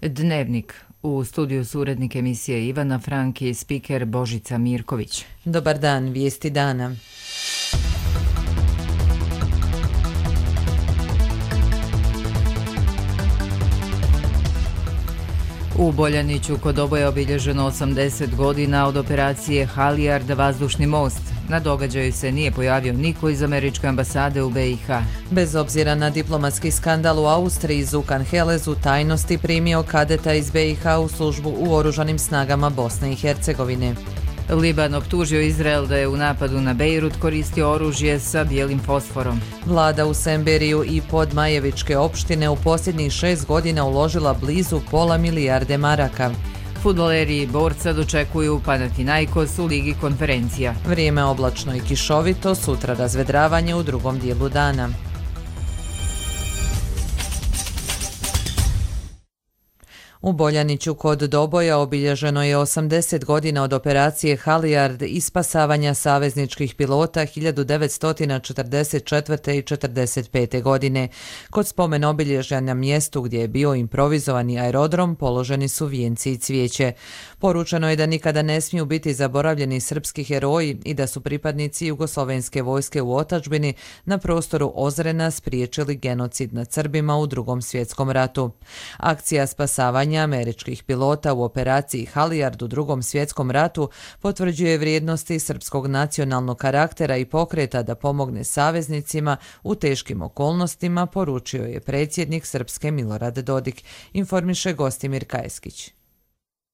Dnevnik. U studiju su urednik emisije Ivana Frank i spiker Božica Mirković. Dobar dan, vijesti dana. U Boljaniću kod Doboja obilježeno 80 godina od operacije Halijard vazdušni most. Na događaju se nije pojavio niko iz američke ambasade u BiH. Bez obzira na diplomatski skandal u Austriji, Zukan Helez u tajnosti primio kadeta iz BiH u službu u oružanim snagama Bosne i Hercegovine. Liban optužio Izrael da je u napadu na Bejrut koristio oružje sa bijelim fosforom. Vlada u Semberiju i Podmajevičke opštine u posljednjih 6 godina uložila blizu £500 milijarde maraka. Fudbaleri i Borca dočekuju Panathinaikos u Ligi konferencija. Vrijeme oblačno i kišovito, sutra razvedravanje u drugom dijelu dana. U Boljaniću kod Doboja obilježeno je 80 godina od operacije Halijard i spasavanja savezničkih pilota 1944. i 1945. godine. Kod spomen obilježja na mjestu gdje je bio improvizovani aerodrom položeni su vijenci i cvijeće. Poručeno je da nikada ne smiju biti zaboravljeni srpski heroji i da su pripadnici jugoslovenske vojske u otadžbini na prostoru Ozrena spriječili genocid nad Srbima u Drugom svjetskom ratu. Akcija spasavanja američkih pilota u operaciji Halijard u Drugom svjetskom ratu potvrđuje vrijednosti srpskog nacionalnog karaktera i pokreta da pomogne saveznicima u teškim okolnostima, poručio je predsjednik Srpske Milorad Dodik, informiše Gostimir Kajeskić.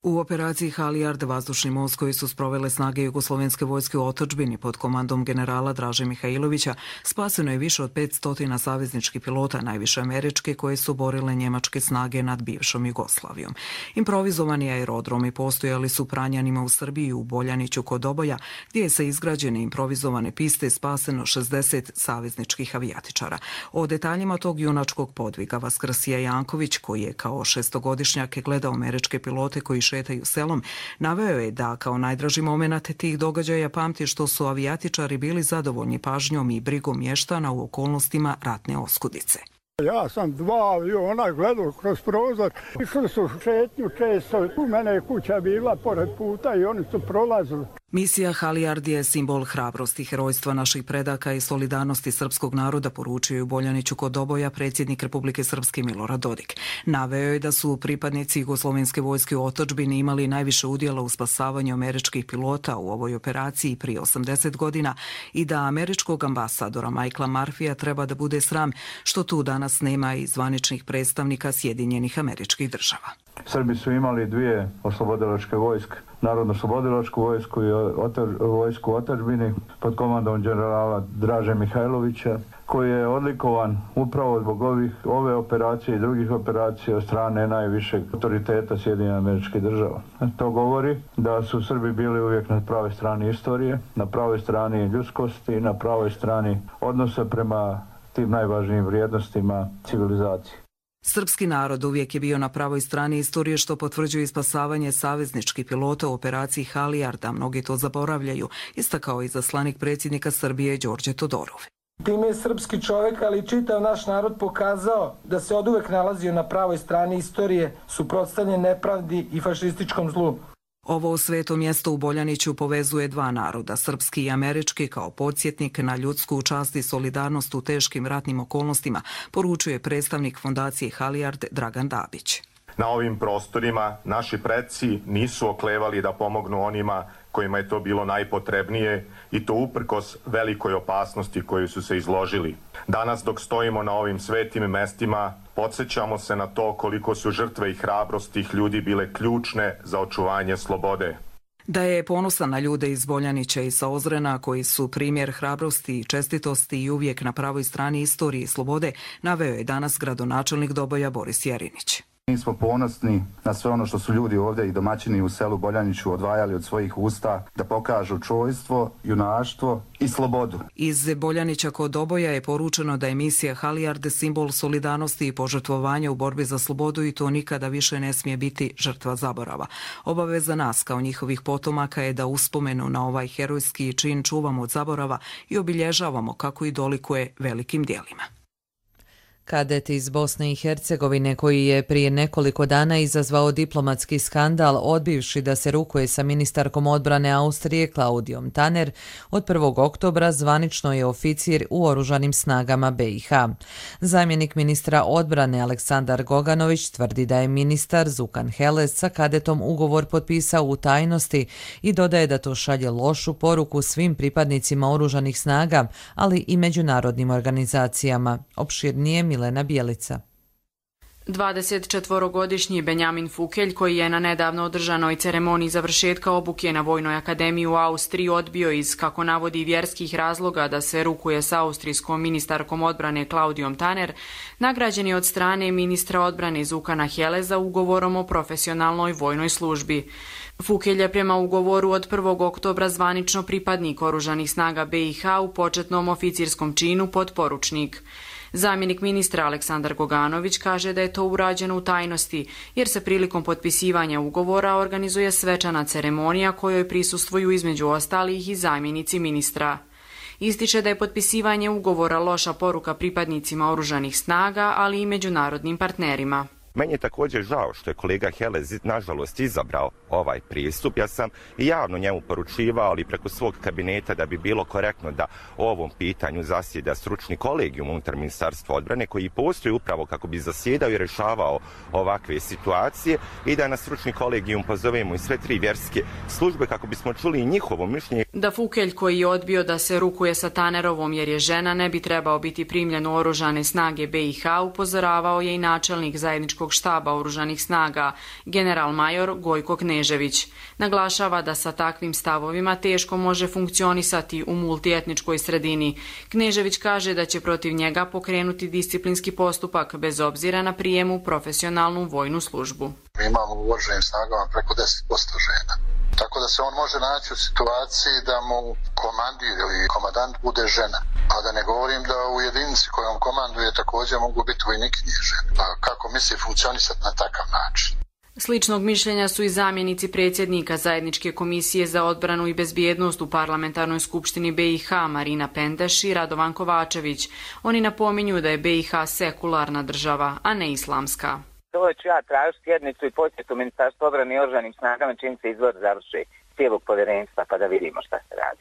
U operaciji Halijard vazdušni most koji su sprovele snage jugoslovenske vojske u otadžbini pod komandom generala Draže Mihajlovića spaseno je više od 500 savezničkih pilota, najviše američke, koje su borile njemačke snage nad bivšom Jugoslavijom. Improvizovani aerodromi postojali su Pranjanima u Srbiji, u Boljaniću kod Doboja, gdje je sa izgrađene improvizovane piste spaseno 60 savezničkih avijatičara. O detaljima tog junačkog podviga Vaskrsija Janković, koji je kao šestogodišnjak gledao američke pilote koji šetaju selom, naveo je da kao najdraži moment tih događaja pamti što su avijatičari bili zadovoljni pažnjom i brigom mještana u okolnostima ratne oskudice. Ja sam 2 aviona gledao kroz prozor. Išli su šetnju često. U mene je kuća bila pored puta i oni su prolazili. Misija Halijard je simbol hrabrosti, herojstva naših predaka i solidarnosti srpskog naroda, poručio je u Boljaniću kod Doboja predsjednik Republike Srpske Milorad Dodik. Naveo je da su pripadnici jugoslovenske vojske u otadžbini imali najviše udjela u spasavanju američkih pilota u ovoj operaciji prije 80 godina i da američkog ambasadora Michaela Murphyja treba da bude sram što tu danas nema i zvaničnih predstavnika Sjedinjenih Američkih Država. Srbi su imali 2 oslobodilačke vojske, Narodno-oslobodilačku vojsku i vojsku otadžbini pod komandom generala Draže Mihajlovića, koji je odlikovan upravo zbog ove operacije i drugih operacija od strane najvišeg autoriteta Sjedinjenih Američkih Država. To govori da su Srbi bili uvijek na pravoj strani istorije, na pravoj strani ljudskosti i na pravoj strani odnosa prema tim najvažnijim vrijednostima civilizacije. Srpski narod uvijek je bio na pravoj strani istorije, što potvrđuje spasavanje savezničkih pilota u operaciji Halijard, a mnogi to zaboravljaju, istakao izaslanik predsjednika Srbije Đorđe Todorov. Time je srpski čovjek, ali i čitav naš narod pokazao da se oduvek nalazio na pravoj strani istorije, suprotstavljen nepravdi i fašističkom zlu. Ovo sveto mjesto u Boljaniću povezuje 2 naroda, srpski i američki, kao podsjetnik na ljudsku čast i solidarnost u teškim ratnim okolnostima, poručuje predstavnik fondacije Halijard Dragan Dabić. Na ovim prostorima naši preci nisu oklevali da pomognu onima kojima je to bilo najpotrebnije i to uprkos velikoj opasnosti koju su se izložili. Danas dok stojimo na ovim svetim mestima, podsjećamo se na to koliko su žrtve i hrabrost tih ljudi bile ključne za očuvanje slobode. Da je ponosan na ljude iz Boljanića i sa Ozrena koji su primjer hrabrosti i čestitosti i uvijek na pravoj strani istorije i slobode, naveo je danas gradonačelnik Doboja Boris Jerinić. Mi smo ponosni na sve ono što su ljudi ovdje i domaćini u selu Boljaniću odvajali od svojih usta da pokažu čojstvo, junaštvo i slobodu. Iz Boljanića kod Doboja je poručeno da je misija Halijard simbol solidarnosti i požrtvovanja u borbi za slobodu i to nikada više ne smije biti žrtva zaborava. Obaveza nas kao njihovih potomaka je da uspomenu na ovaj herojski čin čuvamo od zaborava i obilježavamo kako i dolikuje velikim djelima. Kadet iz Bosne i Hercegovine koji je prije nekoliko dana izazvao diplomatski skandal odbivši da se rukuje sa ministarkom odbrane Austrije Klaudijom Tanner, od 1. oktobra zvanično je oficir u Oružanim snagama BiH. Zamjenik ministra odbrane Aleksandar Goganović tvrdi da je ministar Zukan Heles sa kadetom ugovor potpisao u tajnosti i dodaje da to šalje lošu poruku svim pripadnicima Oružanih snaga, ali i međunarodnim organizacijama. Opširnije Milena Bjelica. 24-godišnji Benjamin Fukelj, koji je na nedavno održanoj ceremoniji završetka obuke na Vojnoj akademiji u Austriji odbio iz, kako navodi, vjerskih razloga da se rukuje sa austrijskom ministarkom odbrane Klaudijom Tanner, nagrađen je od strane ministra odbrane Zukana Heleza ugovorom o profesionalnoj vojnoj službi. Fukelj je prema ugovoru od 1. oktobra zvanično pripadnik Oružanih snaga BiH u početnom oficirskom činu potporučnik. Zamjenik ministra Aleksandar Goganović kaže da je to urađeno u tajnosti, jer se prilikom potpisivanja ugovora organizuje svečana ceremonija kojoj prisustvuju između ostalih i zamjenici ministra. Ističe da je potpisivanje ugovora loša poruka pripadnicima Oružanih snaga, ali i međunarodnim partnerima. Meni je također žao što je kolega Helez nažalost izabrao ovaj pristup. Ja sam i javno njemu poručivao, ali preko svog kabineta, da bi bilo korektno da o ovom pitanju zasjeda stručni kolegijum unutar Ministarstva odbrane koji postoji upravo kako bi zasjedao i rješavao ovakve situacije i da na stručni kolegijum pozovemo i sve 3 vjerske službe kako bismo čuli i njihovo mišljenje. Da Fukelj, koji je odbio da se rukuje sa Tannerovom jer je žena, ne bi trebao biti primljen u Oružane snage BiH, upozoravao je i načelnik zajedničkog štaba Oružanih snaga, general major Gojko Knežević. Naglašava da sa takvim stavovima teško može funkcionisati u multietničkoj sredini. Knežević kaže da će protiv njega pokrenuti disciplinski postupak bez obzira na prijem u profesionalnu vojnu službu. Mi imamo u Oružanim snagama preko 10% žena. Tako da se on može naći u situaciji da mu komandir ili komandant bude žena. A da ne govorim da u jedinici kojom komanduje također mogu biti vojnikinje žene. Pa kako misli funkcionisati na takav način? Sličnog mišljenja su i zamjenici predsjednika Zajedničke komisije za odbranu i bezbjednost u Parlamentarnoj skupštini BiH Marina Pendeš i Radovan Kovačević. Oni napominju da je BiH sekularna država, a ne islamska. To ću ja tražiti sjednicu i posjetu Ministarstva odbrane i Oružanim snagama čim se izbor završi cijelog povjerenstva pa da vidimo šta se radi.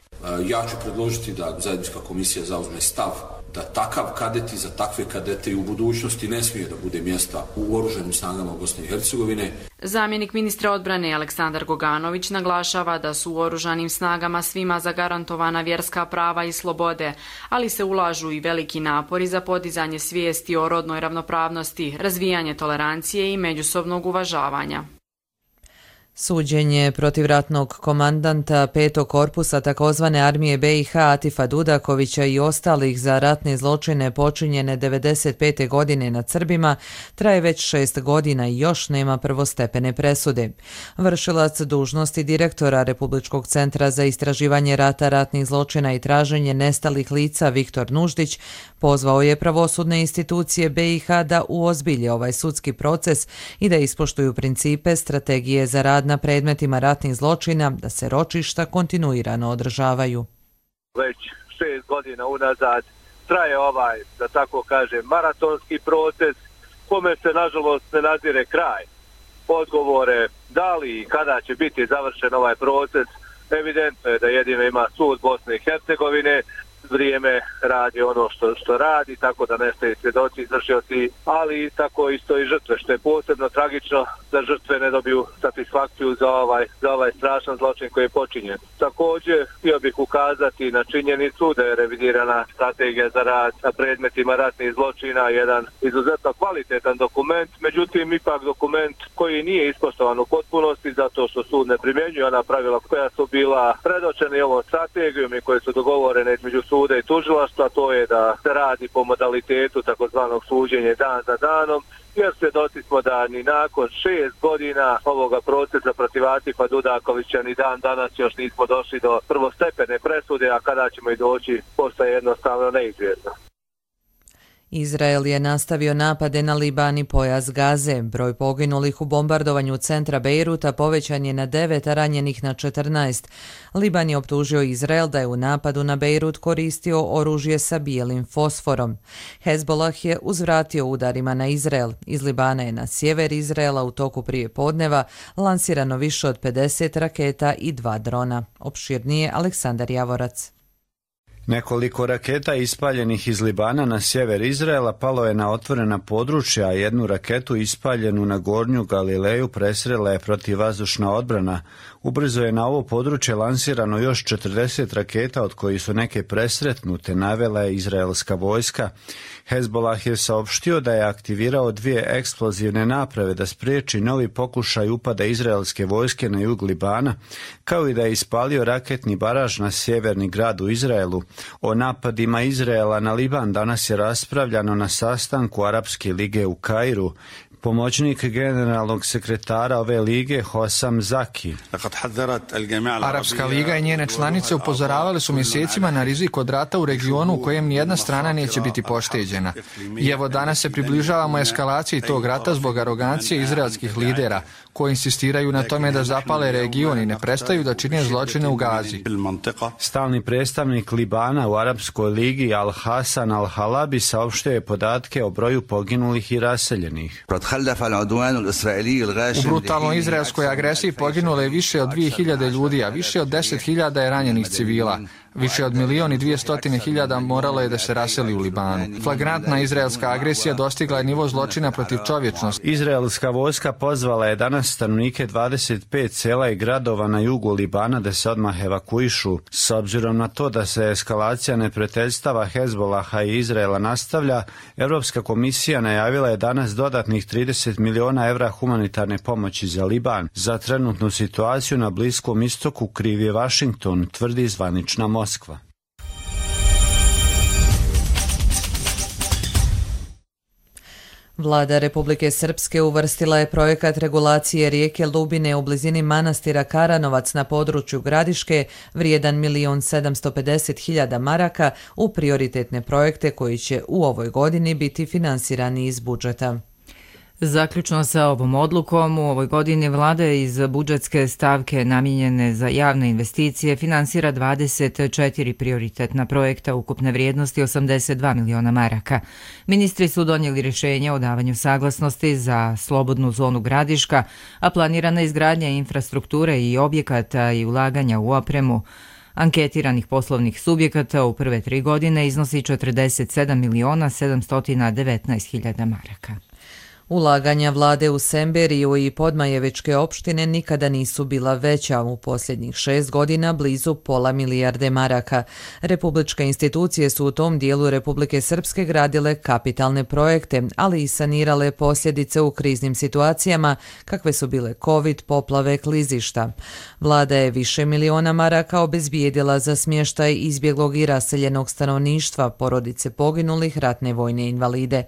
Ja ću predložiti da Zajednička komisija zauzme stav da takav kadet i za takve kadete i u budućnosti ne smije da bude mjesta u Oružanim snagama Bosne i Hercegovine. Zamjenik ministra odbrane Aleksandar Goganović naglašava da su u Oružanim snagama svima zagarantovana vjerska prava i slobode, ali se ulažu i veliki napori za podizanje svijesti o rodnoj ravnopravnosti, razvijanje tolerancije i međusobnog uvažavanja. Suđenje protiv ratnog komandanta 5. korpusa takozvane armije BiH Atifa Dudakovića i ostalih za ratne zločine počinjene 1995. godine nad Srbima traje već 6 godina i još nema prvostepene presude. Vršilac dužnosti direktora Republičkog centra za istraživanje rata, ratnih zločina i traženje nestalih lica Viktor Nuždić pozvao je pravosudne institucije BiH da uozbilje ovaj sudski proces i da ispoštuju principe strategije za rad na predmetima ratnih zločina, da se ročišta kontinuirano održavaju. Već 6 godina unazad traje ovaj, da tako kažem, maratonski proces, kome se nažalost ne nazire kraj. Odgovore da li i kada će biti završen ovaj proces, evidentno je da jedino ima sud Bosne i Hercegovine, vrijeme radi ono što radi, tako da nestaju svjedoci, izvršioci, ali tako isto i žrtve, što je posebno tragično da žrtve ne dobiju satisfakciju za ovaj strašan zločin koji je počinjen. Također, htio bih ukazati na činjenicu da je revidirana strategija za rad na predmetima ratnih zločina, jedan izuzetno kvalitetan dokument, međutim ipak dokument koji nije ispoštovan u potpunosti zato što sud ne primjenjuje ona pravila koja su bila predočena ovom strategijom i koje su dogovorene između suda i tužilaštva, to je da se radi po modalitetu takozvanog suđenja dan za danom, jer svjedoci smo da ni nakon 6 godina ovoga procesa protiv Atifa Dudakovića ni dan danas još nismo došli do prvostepene presude, a kada ćemo i doći postaje jednostavno neizvjesno. Izrael je nastavio napade na Liban i pojas Gaze. Broj poginulih u bombardovanju centra Bejruta povećan je na 9, a ranjenih na 14. Liban je optužio Izrael da je u napadu na Bejrut koristio oružje sa bijelim fosforom. Hezbollah je uzvratio udarima na Izrael. Iz Libana je na sjever Izraela u toku prijepodneva lansirano više od 50 raketa i 2 drona. Opširnije Aleksandar Javorac. Nekoliko raketa ispaljenih iz Libana na sjever Izraela palo je na otvorena područja, a jednu raketu ispaljenu na Gornju Galileju presrela je protivvazdušna odbrana. Ubrzo je na ovo područje lansirano još 40 raketa, od kojih su neke presretnute, navela je izraelska vojska. Hezbollah je saopštio da je aktivirao 2 eksplozivne naprave da spriječi novi pokušaj upada izraelske vojske na jug Libana, kao i da je ispalio raketni baraž na sjeverni grad u Izraelu. O napadima Izraela na Liban danas je raspravljano na sastanku Arapske lige u Kairu. Pomoćnik generalnog sekretara ove lige Hossam Zaki. Arapska liga i njene članice upozoravale su mjesecima na rizik od rata u regionu u kojem nijedna strana neće biti pošteđena. I evo danas se približavamo eskalaciji tog rata zbog arogancije izraelskih lidera, koji insistiraju na tome da zapale region i ne prestaju da čine zločine u Gazi. Stalni predstavnik Libana u Arapskoj ligi Al-Hasan Al-Halabi saopštio je podatke o broju poginulih i raseljenih. U brutalnoj izraelskoj agresiji poginulo je više od 2000 ljudi, a više od 10.000 je ranjenih civila. Više od 1.200.000 moralo je da se raseli u Libanu. Flagrantna izraelska agresija dostigla je nivo zločina protiv čovječnosti. Izraelska vojska pozvala je danas stanovnike 25 sela i gradova na jugu Libana da se odmah evakuišu. S obzirom na to da se eskalacija neprijateljstava Hezbollaha i Izraela nastavlja, Europska komisija najavila je danas dodatnih 30 miliona evra humanitarne pomoći za Liban. Za trenutnu situaciju na Bliskom istoku kriv je Washington, tvrdi zvanična Moskva. Vlada Republike Srpske uvrstila je projekat regulacije rijeke Lubine u blizini manastira Karanovac na području Gradiške vrijedan 1.750.000 maraka u prioritetne projekte koji će u ovoj godini biti finansirani iz budžeta. Zaključno sa ovom odlukom, u ovoj godini vlada iz budžetske stavke namijenjene za javne investicije finansira 24 prioritetna projekta ukupne vrijednosti 82 miliona maraka. Ministri su donijeli rješenje o davanju saglasnosti za slobodnu zonu Gradiška, a planirana izgradnja infrastrukture i objekata i ulaganja u opremu anketiranih poslovnih subjekata u prve 3 godine iznosi 47 miliona 719.000 maraka. Ulaganja vlade u Semberiju i Podmajevičke opštine nikada nisu bila veća, u posljednjih 6 godina blizu pola milijarde maraka. Republičke institucije su u tom dijelu Republike Srpske gradile kapitalne projekte, ali i sanirale posljedice u kriznim situacijama, kakve su bile COVID, poplave, klizišta. Vlada je više miliona maraka obezbijedila za smještaj izbjeglog i raseljenog stanovništva, porodice poginulih, ratne vojne invalide.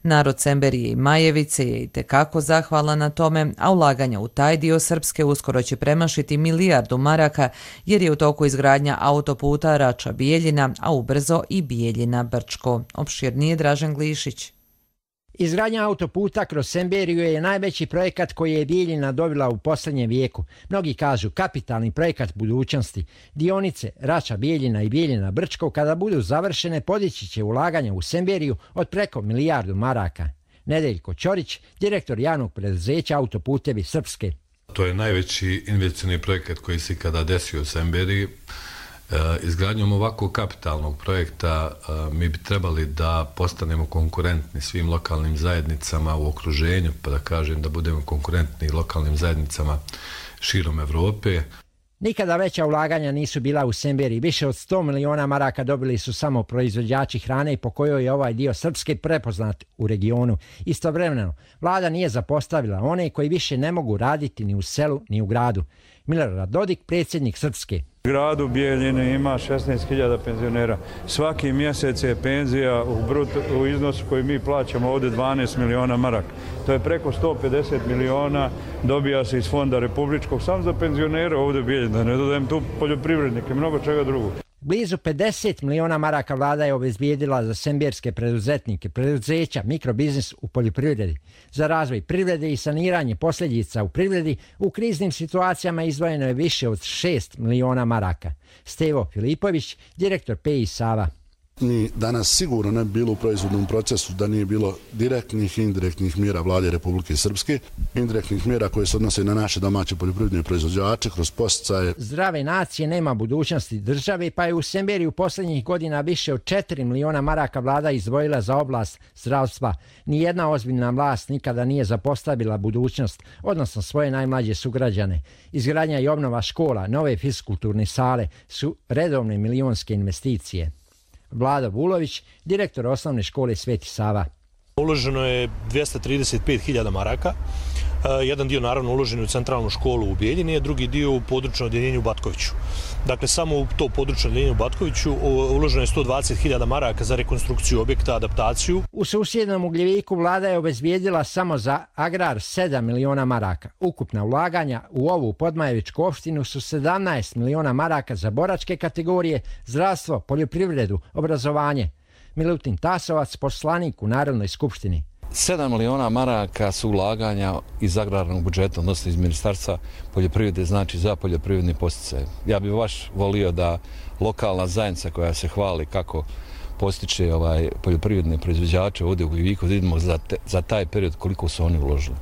Narod Semberije i Majevice je itekako zahvalan na tome, a ulaganja u taj dio Srpske uskoro će premašiti milijardu maraka jer je u toku izgradnja autoputa Rača-Bijeljina, a ubrzo i Bijeljina-Brčko. Opširnije Dražen Glišić. Izgradnja autoputa kroz Semberiju je najveći projekat koji je Bijeljina dobila u posljednjem vijeku. Mnogi kažu kapitalni projekat budućnosti. Dionice Rača Bijeljina i Bijeljina Brčko kada budu završene podići će ulaganja u Semberiju od preko milijardu maraka. Nedeljko Ćorić, direktor javnog preduzeća Autoputevi Srpske. To je najveći investicioni projekat koji se kada desio u Semberiji. Izgradnjom ovakvog kapitalnog projekta mi bi trebali da postanemo konkurentni svim lokalnim zajednicama u okruženju, pa da kažem da budemo konkurentni lokalnim zajednicama širom Evrope. Nikada veća ulaganja nisu bila u Semberiji. Više od 100 miliona maraka dobili su samo proizvođači hrane i po kojoj je ovaj dio Srpske prepoznat u regionu. Istovremeno, vlada nije zapostavila one koji više ne mogu raditi ni u selu ni u gradu. Milorad Dodik, predsjednik Srpske. U gradu Bijeljine ima 16.000 penzionera. Svaki mjesec je penzija u iznosu koji mi plaćamo ovdje 12 miliona maraka. To je preko 150 miliona, dobija se iz fonda republičkog sam za penzionere ovdje u Bijeljini. Da ne dodajem tu poljoprivrednike, mnogo čega drugog. Blizu 50 miliona maraka vlada je obezbijedila za semberske preduzetnike, preduzeća, mikrobiznis u poljoprivredi. Za razvoj privrede i saniranje posljedica u privredi u kriznim situacijama izdvojeno je više od 6 miliona maraka. Stevo Filipović, direktor PI Sava. Ni danas sigurno ne bi bilo u proizvodnom procesu da nije bilo direktnih i indirektnih mjera vlade Republike Srpske, indirektnih mjera koje se odnose na naše domaće poljoprivredne proizvođače kroz podsticaje. Zdrave nacije nema budućnosti države, pa je u Semberiju posljednjih godina više od 4 miliona maraka vlada izdvojila za oblast zdravstva. Nijedna ozbiljna vlast nikada nije zapostavila budućnost, odnosno svoje najmlađe sugrađane. Izgradnja i obnova škola, nove fiskulturne sale su redovne milionske investicije. Vlado Vulović, direktor osnovne škole Sveti Sava. Uloženo je 235.000 maraka. Jedan dio naravno uložen u centralnu školu u Bijeljini, a drugi dio u područno odjeljenje u Batkoviću. Dakle, samo u to područno odjeljenje u Batkoviću uloženo je 120.000 maraka za rekonstrukciju objekta, adaptaciju. U susjednom Ugljeviku vlada je obezbijedila samo za agrar 7 miliona maraka. Ukupna ulaganja u ovu Podmajevičku opštinu su 17 miliona maraka za boračke kategorije, zdravstvo, poljoprivredu, obrazovanje. Milutin Tasovac, poslanik u Narodnoj skupštini. 7 miliona maraka su ulaganja iz agrarnog budžeta, odnosno iz Ministarstva poljoprivrede, znači za poljoprivredni podsticaj. Ja bih baš volio da lokalna zajednica koja se hvali kako postiče poljoprivredne proizvođače ovdje u Ugljeviku, vidimo za taj period koliko su oni uložili.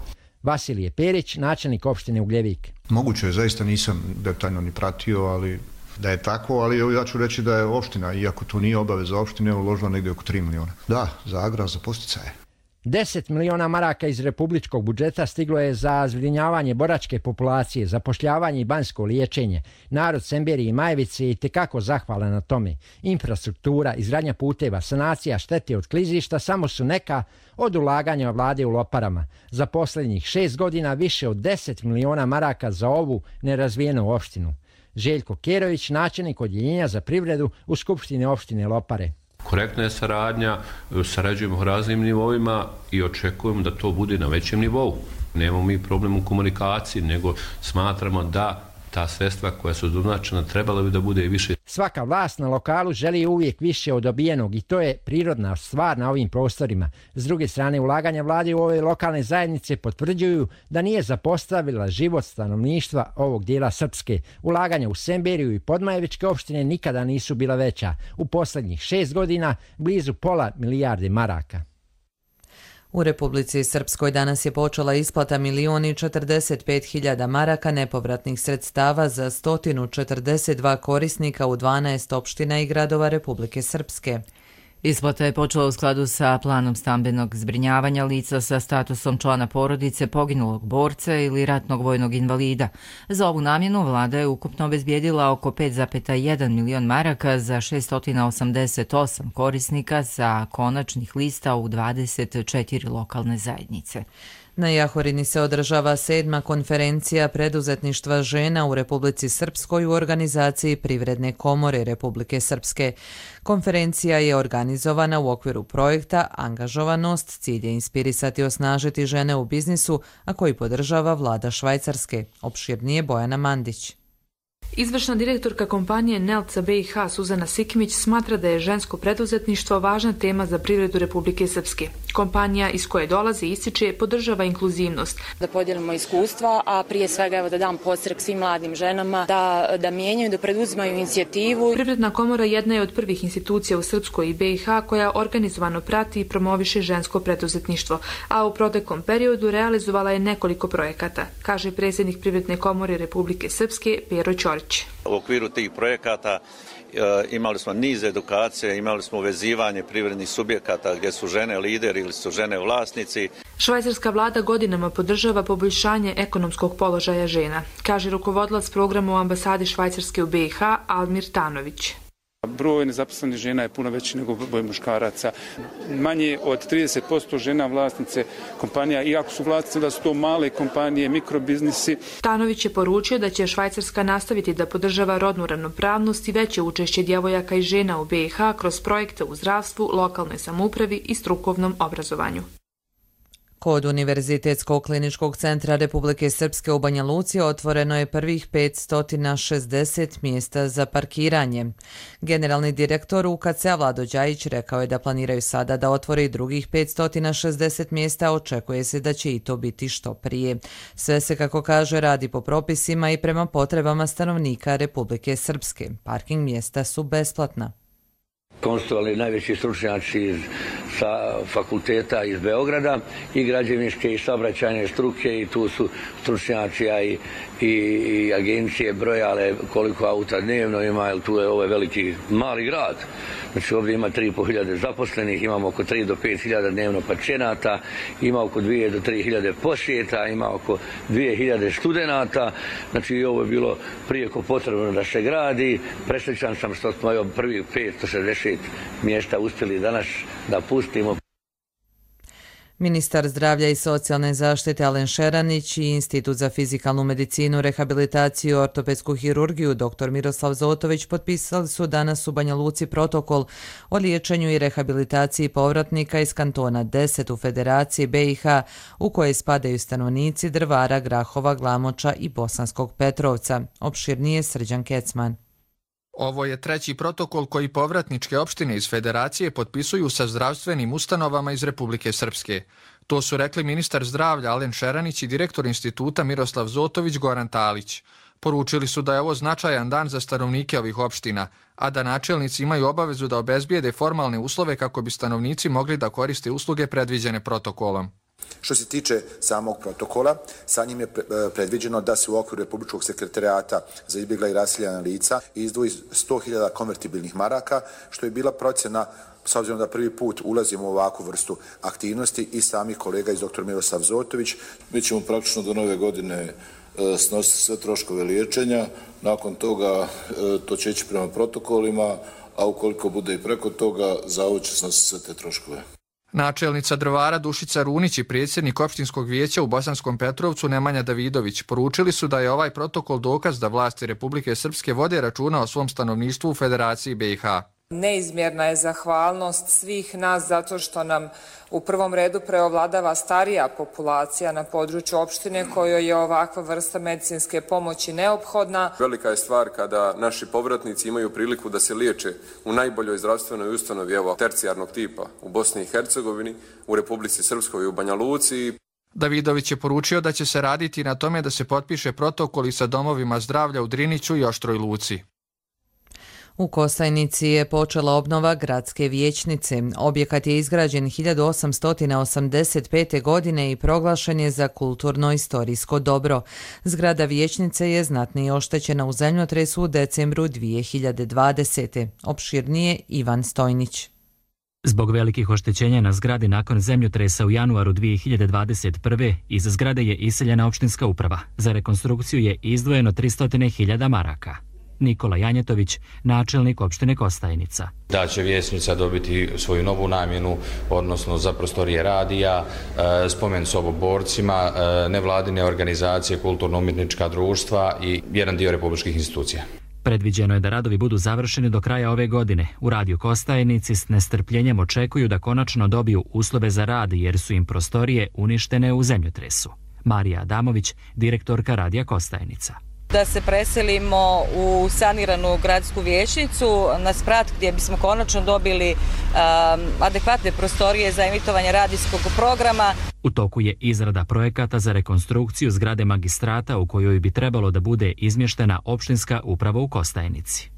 Vasilije Perić, načelnik opštine Ugljevik. Moguće je, zaista nisam detaljno ni pratio, ali da je tako, ali ja ću reći da je opština, iako to nije obaveza opštine, uložila negdje oko 3 miliona. Da, za agrar, za podsticaje. 10 miliona maraka iz republičkog budžeta stiglo je za zbrinjavanje boračke populacije, zapošljavanje i banjsko liječenje. Narod Semberije i Majevice je itekako zahvalan na tome. Infrastruktura, izgradnja puteva, sanacija štete od klizišta samo su neka od ulaganja vlade u Loparama. Za posljednjih 6 godina više od 10 miliona maraka za ovu nerazvijenu opštinu. Željko Kerović, načelnik odjeljenja za privredu u Skupštini opštine Lopare. Korektna je saradnja, sarađujemo u raznim nivoima i očekujemo da to bude na većem nivou. Nemamo mi problem u komunikaciji, nego smatramo da ta sredstva koja su doznačena trebala bi da bude i više. Svaka vlast na lokalu želi uvijek više od dobijenog i to je prirodna stvar na ovim prostorima. S druge strane, ulaganja vlade u ove lokalne zajednice potvrđuju da nije zapostavila život stanovništva ovog dijela Srpske. Ulaganja u Semberiju i Podmajevičke opštine nikada nisu bila veća. U posljednjih 6 godina blizu pola milijarde maraka. U Republici Srpskoj danas je počela isplata 1.045.000 maraka nepovratnih sredstava za 142 korisnika u 12 opština i gradova Republike Srpske. Isplata je počela u skladu sa planom stambenog zbrinjavanja lica sa statusom člana porodice poginulog borca ili ratnog vojnog invalida. Za ovu namjenu vlada je ukupno obezbijedila oko 5,1 milion maraka za 688 korisnika sa konačnih lista u 24 lokalne zajednice. Na Jahorini se održava 7. konferencija preduzetništva žena u Republici Srpskoj u organizaciji Privredne komore Republike Srpske. Konferencija je organizovana u okviru projekta Angažovanost, cilj je inspirisati i osnažiti žene u biznisu, a koji podržava vlada Švajcarske. Opširnije Bojana Mandić. Izvršna direktorka kompanije Nelca BiH Suzana Sikimić smatra da je žensko preduzetništvo važna tema za privredu Republike Srpske. Kompanija iz koje dolazi ističe podržava inkluzivnost. Da podijelimo iskustva, a prije svega da dam podstrek svim mladim ženama da mijenjaju, da preduzimaju inicijativu. Privredna komora jedna je od prvih institucija u Srpskoj i BiH koja organizovano prati i promoviše žensko preduzetništvo, a u proteklom periodu realizovala je nekoliko projekata, kaže predsjednik Privredne komore Republike Srpske Pero Ćorić. U okviru tih projekata imali smo niz edukacije, imali smo uvezivanje privrednih subjekata gdje su žene lideri ili su žene vlasnici. Švajcarska vlada godinama podržava poboljšanje ekonomskog položaja žena, kaže rukovodilac programa u ambasadi Švajcarske u BiH Almir Tanović. Broj nezaposlenih žena je puno veći nego broj muškaraca. Manje od 30% žena vlasnice kompanija, iako su vlasnice da su to male kompanije, mikrobiznisi. Tanović je poručio da će Švajcarska nastaviti da podržava rodnu ravnopravnost i veće učešće djevojaka i žena u BiH kroz projekte u zdravstvu, lokalnoj samoupravi i strukovnom obrazovanju. Kod Univerzitetskog kliničkog centra Republike Srpske u Banja Luci otvoreno je prvih 560 mjesta za parkiranje. Generalni direktor UKC-a Vlado Đajić rekao je da planiraju sada da otvore i drugih 560 mjesta, očekuje se da će i to biti što prije. Sve se, kako kaže, radi po propisima i prema potrebama stanovnika Republike Srpske. Parking mjesta su besplatna. Konstituovali najveći stručnjaci sa fakulteta iz Beograda i građevinske i saobraćajne struke i tu su stručnjaci i agencije brojale koliko auta dnevno ima, jer tu je ovo veliki mali grad. Znači ovdje ima 3.500 zaposlenih, imamo oko 3 do 5.000 dnevno pacijenata, ima oko 2 do 3.000 posjeta, ima oko 2.000 studenata. Znači ovo je bilo prijeko potrebno da se gradi. Presrećan sam što smo prvih 560 mjesta uspjeli danas da pustimo. Ministar zdravlja i socijalne zaštite Alen Šeranić i Institut za fizikalnu medicinu, rehabilitaciju i ortopedsku hirurgiju dr. Miroslav Zotović potpisali su danas u Banja Luci protokol o liječenju i rehabilitaciji povratnika iz kantona 10 u Federaciji BiH, u koje spadaju stanovnici Drvara, Grahova, Glamoča i Bosanskog Petrovca. Opširnije Srđan Kecman. Ovo je treći protokol koji povratničke opštine iz Federacije potpisuju sa zdravstvenim ustanovama iz Republike Srpske. To su rekli ministar zdravlja Alen Šeranić i direktor instituta Miroslav Zotović Goran Talić. Poručili su da je ovo značajan dan za stanovnike ovih opština, a da načelnici imaju obavezu da obezbijede formalne uslove kako bi stanovnici mogli da koriste usluge predviđene protokolom. Što se tiče samog protokola, sa njim je predviđeno da se u okviru Republičkog sekretarijata za izbjegla i raseljena lica izdvoji 100.000 konvertibilnih maraka, što je bila procjena, s obzirom da prvi put ulazimo u ovakvu vrstu aktivnosti, i sami kolega iz dr. Miroslav Zotović. Mi ćemo praktično do nove godine snositi sve troškove liječenja, nakon toga to će ići prema protokolima, a ukoliko bude i preko toga, zavod će snositi sve te troškove. Načelnica Drvara Dušica Runić i predsjednik opštinskog vijeća u Bosanskom Petrovcu Nemanja Davidović poručili su da je ovaj protokol dokaz da vlasti Republike Srpske vode računa o svom stanovništvu u Federaciji BiH. Neizmjerna je zahvalnost svih nas zato što nam u prvom redu preovladava starija populacija na području opštine kojoj je ovakva vrsta medicinske pomoći neophodna. Velika je stvar kada naši povratnici imaju priliku da se liječe u najboljoj zdravstvenoj ustanovi tercijarnog tipa u Bosni i Hercegovini, u Republici Srpskoj i u Banja Luci. Davidović je poručio da će se raditi na tome da se potpiše protokol i sa domovima zdravlja u Driniću i Oštroj Luci. U Kostajnici je počela obnova gradske vijećnice. Objekat je izgrađen 1885. godine i proglašen je za kulturno-istorijsko dobro. Zgrada vijećnice je znatnije oštećena u zemljotresu u decembru 2020. Opširnije Ivan Stojnić. Zbog velikih oštećenja na zgradi nakon zemljotresa u januaru 2021. iz zgrade je iseljena opštinska uprava. Za rekonstrukciju je izdvojeno 300.000 maraka. Nikola Janjetović, načelnik opštine Kostajnica. Da će vijećnica dobiti svoju novu namjenu, odnosno za prostorije radija, spomen soboborcima, nevladine organizacije, kulturno-umjetnička društva i jedan dio republičkih institucija. Predviđeno je da radovi budu završeni do kraja ove godine. U radiju Kostajnici s nestrpljenjem očekuju da konačno dobiju uslove za rad jer su im prostorije uništene u zemljotresu. Marija Adamović, direktorka radija Kostajnica. Da se preselimo u saniranu gradsku vijećnicu na Sprat gdje bismo konačno dobili adekvatne prostorije za emitovanje radijskog programa. U toku je izrada projekata za rekonstrukciju zgrade magistrata u kojoj bi trebalo da bude izmještena opštinska uprava u Kostajnici.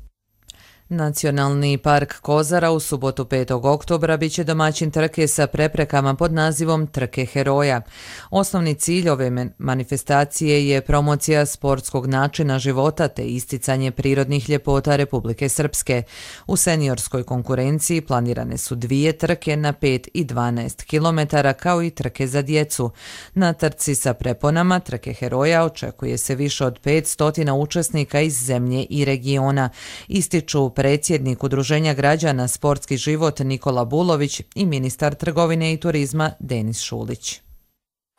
Nacionalni park Kozara u subotu 5. oktobra biće domaćin trke sa preprekama pod nazivom Trke heroja. Osnovni cilj ove manifestacije je promocija sportskog načina života te isticanje prirodnih ljepota Republike Srpske. U seniorskoj konkurenciji planirane su 2 trke na 5 i 12 km kao i trke za djecu. Na trci sa preponama Trke heroja očekuje se više od 500 učesnika iz zemlje i regiona, ističu predsjednik Udruženja građana Sportski život Nikola Bulović i ministar trgovine i turizma Denis Šulić.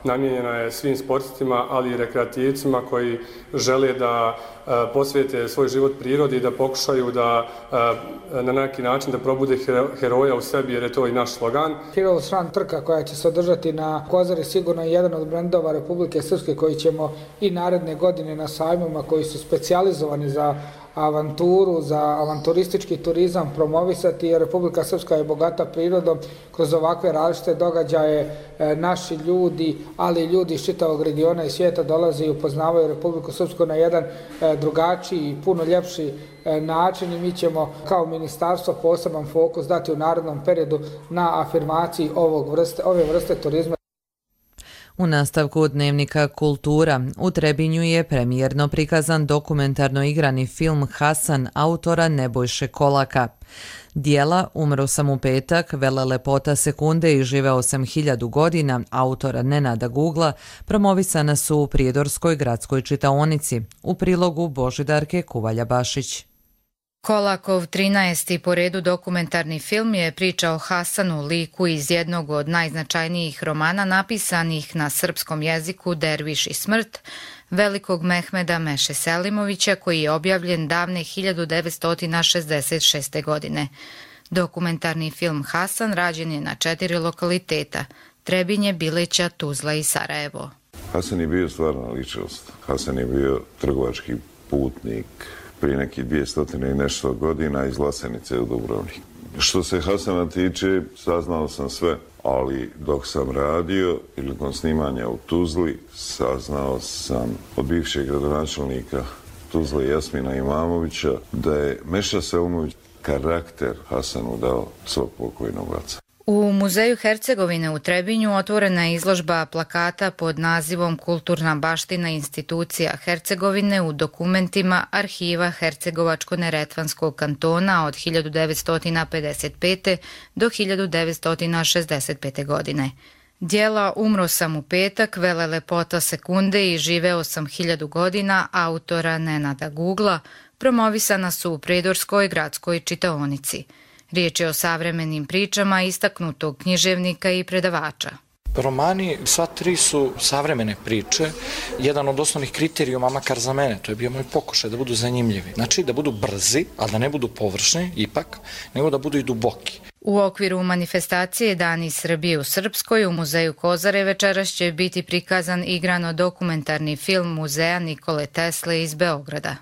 Namijenjena je svim sportistima, ali i rekreativcima koji žele da posvijete svoj život prirodi i da pokušaju da na neki način da probude heroja u sebi, jer je to i naš slogan. Heroes Run trka koja će se održati na Kozari sigurno je jedan od brendova Republike Srpske koji ćemo i naredne godine na sajmima koji su specijalizovani za avanturu, za avanturistički turizam promovisati, jer Republika Srpska je bogata prirodom. Kroz ovakve različite događaje naši ljudi, ali i ljudi iz čitavog regiona i svijeta dolaze i upoznavaju Republiku Srpsku na jedan drugačiji i puno ljepši način i mi ćemo kao ministarstvo poseban fokus dati u narednom periodu na afirmaciji ove vrste turizma. U nastavku Dnevnika Kultura u Trebinju je premijerno prikazan dokumentarno igrani film Hasan autora Nebojše Kolaka. Dijela Umro sam u petak, Vele lepota sekunde i živeo sam 1000 godina autora Nenada Gugla promovisana su u Prijedorskoj gradskoj čitaonici. U prilogu Božidarke Kuvalja-Bašić. Kolakov 13. po redu dokumentarni film je priča o Hasanu, liku iz jednog od najznačajnijih romana napisanih na srpskom jeziku Derviš i smrt, velikog Mehmeda Meše Selimovića, koji je objavljen davne 1966. godine. Dokumentarni film Hasan rađen je na 4 lokaliteta: Trebinje, Bileća, Tuzla i Sarajevo. Hasan je bio stvarna ličnost. Hasan je bio trgovački putnik prije nekih 200 i nešto godina iz Lasenice u Dubrovnik. Što se Hasana tiče, saznao sam sve, ali dok sam radio prilikom snimanja u Tuzli, saznao sam od bivšeg gradonačelnika Tuzle Jasmina Imamovića da je Meša Selimović karakter Hasanu dao svog pokojnog oca. U Muzeju Hercegovine u Trebinju otvorena je izložba plakata pod nazivom Kulturna baština institucija Hercegovine u dokumentima arhiva Hercegovačko-Neretvanskog kantona od 1955. do 1965. godine. Dijela Umro sam u petak, Vele lepota sekunde i živeo sam 1000 godina autora Nenada Gugla promovisana su u Prijedorskoj gradskoj čitaonici. Riječ je o savremenim pričama istaknutog književnika i predavača. Romani, sva 3 su savremene priče. Jedan od osnovnih kriterijuma, makar za mene, to je bio moj pokušaj da budu zanimljivi. Znači da budu brzi, ali da ne budu površni, ipak, nego da budu i duboki. U okviru manifestacije Dani Srbije u Srpskoj u Muzeju Kozare večeras će biti prikazan igrano dokumentarni film Muzeja Nikole Tesle iz Beograda.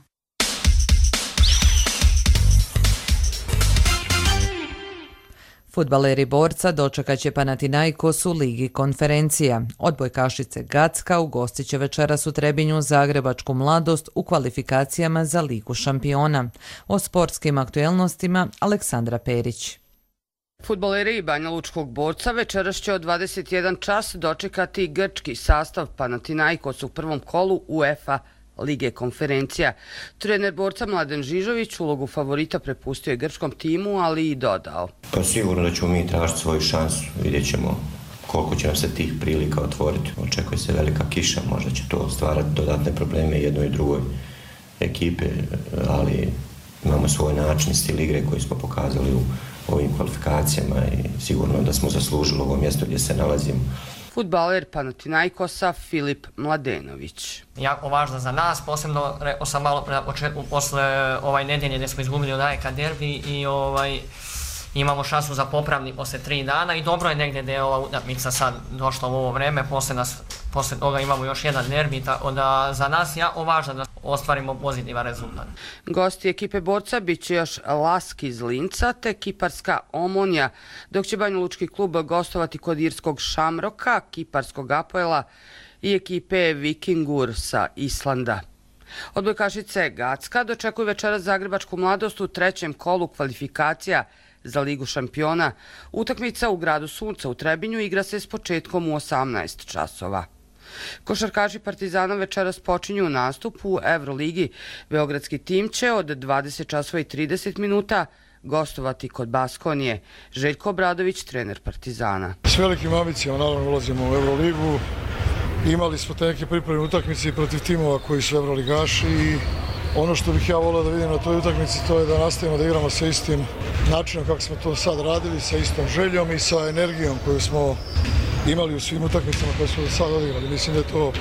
Fudbaleri Borca dočekat će Panathinaikos u Ligi konferencija. Odbojkašice Gacka ugostit će večeras u Trebinju zagrebačku Mladost u kvalifikacijama za Ligu šampiona. O sportskim aktuelnostima Aleksandra Perić. Fudbaleri Banja Lučkog Borca večeras će od 21 čas dočekati grčki sastav Panathinaikos u prvom kolu UEFA Lige konferencija. Trener Borca Mladen Žižović ulogu favorita prepustio je grčkom timu, ali i dodao. Pa sigurno da ćemo mi tražiti svoju šansu, vidjet ćemo koliko će nam se tih prilika otvoriti. Očekuje se velika kiša, možda će to stvarati dodatne probleme jednoj i drugoj ekipe, ali imamo svoj način, stil igre koji smo pokazali u ovim kvalifikacijama i sigurno da smo zaslužili ovo mjesto gdje se nalazimo. Fudbaler Panathinaikosa Filip Mladenović. Jako važno za nas, posebno rekao sam malo posle nedelje gdje smo izgubili od AEK derbi i imamo šansu za popravni posle 3 dana i dobro je negdje da je ova utakmica sad došla u ovo vreme, posle toga imamo još jedan derbi, tako da za nas jako važno da ostvarimo pozitivan rezultat. Gosti ekipe Borca bit će još Lask iz Linca te kiparska Omonja, dok će Banjalučki klub gostovati kod irskog Šamroka, kiparskog Apoela i ekipe Vikingur sa Islanda. Odbojkašice Gacka dočekuju večeras zagrebačku Mladost u 3. kolu kvalifikacija za Ligu šampiona. Utakmica u gradu Sunca u Trebinju igra se s početkom u 18 časova. Košarkaši Partizana večeras počinju nastup u Euroligi. Beogradski tim će od 20 časova i 30 minuta gostovati kod Baskonije. Željko Obradović, trener Partizana. S velikim ambicijama naravno ulazimo u Euroligu. Imali smo te neke pripremne utakmice protiv timova koji su Euroligaši i ono što bih ja volio da vidim na toj utakmici to je da nastavimo da igramo sa istim načinom kako smo to sad radili, sa istom željom i sa energijom koju smo imali u svim utakmicama koje smo do sada odigrali. Mislim da je to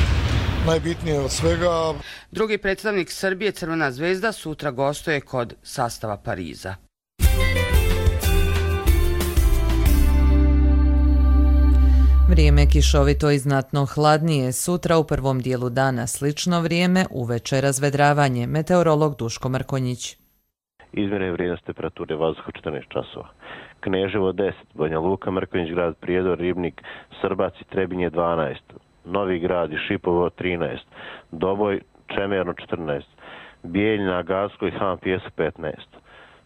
najbitnije od svega. Drugi predstavnik Srbije, Crvena zvezda, sutra gostuje kod sastava Pariza. Vrijeme kišovito i znatno hladnije. Sutra u prvom dijelu dana slično vrijeme, uveče razvedravanje. Meteorolog Duško Mrkonjić. Izmjene vrijednost temperature vazduha 14 časova. Kneževo 10, Banja Luka, Mrkonjić grad, Prijedor, Ribnik, Srbac i Trebinje 12, Novi grad i Šipovo 13, Doboj, Čemerno 14, Bijeljina, Gavsko i Han Pjesak 15,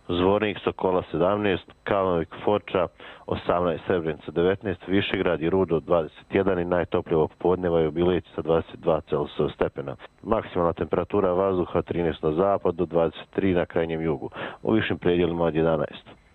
Zvornik, Sokola 17, Kalnovik, Foča 18, Srebrenica 19, Višegrad i Rudo 21 i najtoplije ovog podneva je u Bilici sa 22 stepena. Maksimalna temperatura vazduha 13 na zapadu, 23 na krajnjem jugu, u višim predjelima od 11.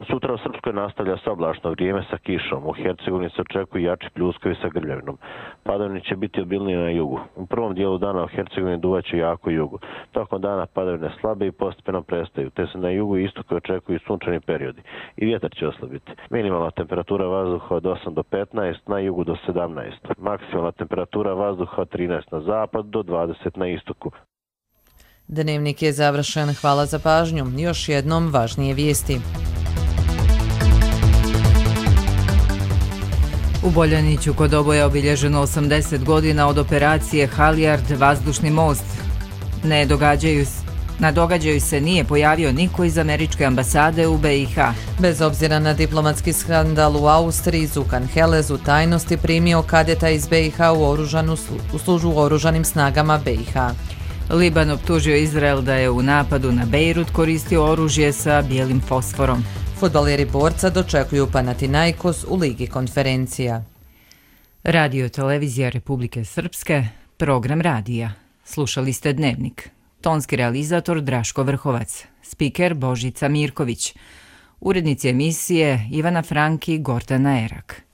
Sutra u Srpskoj nastavlja se oblačno vrijeme sa kišom. U Hercegovini se očekuju jači pljuskovi sa grljavinom. Padavine će biti obilnije na jugu. U prvom dijelu dana u Hercegovini duvaće jako jugu. Tokom dana padavine slabe i postepeno prestaju, te se na jugu i istoku očekuju sunčani periodi. I vjetar će oslabiti. Minimalna temperatura vazduha od 8 do 15, na jugu do 17. Maksimalna temperatura vazduha od 13 na zapad do 20 na istoku. Dnevnik je završen. Hvala za pažnju. Još jednom važnije vijesti. U Boljaniću kod Oboja obilježeno 80 godina od operacije Halijard vazdušni most. Na događaju se nije pojavio niko iz američke ambasade u BiH. Bez obzira na diplomatski skandal u Austriji, Zukan Helez u tajnosti primio kadeta iz BiH u službu u oružanim snagama BiH. Liban optužio Izrael da je u napadu na Bejrut koristio oružje sa bijelim fosforom. Fudbaleri Borca dočekuju Panathinaikos u Ligi konferencija. Radio Televizija Republike Srpske, program radija. Slušali ste Dnevnik. Tonski realizator Draško Vrhovac, spiker Božica Mirković, urednici emisije Ivana Franki, Gordana Erak.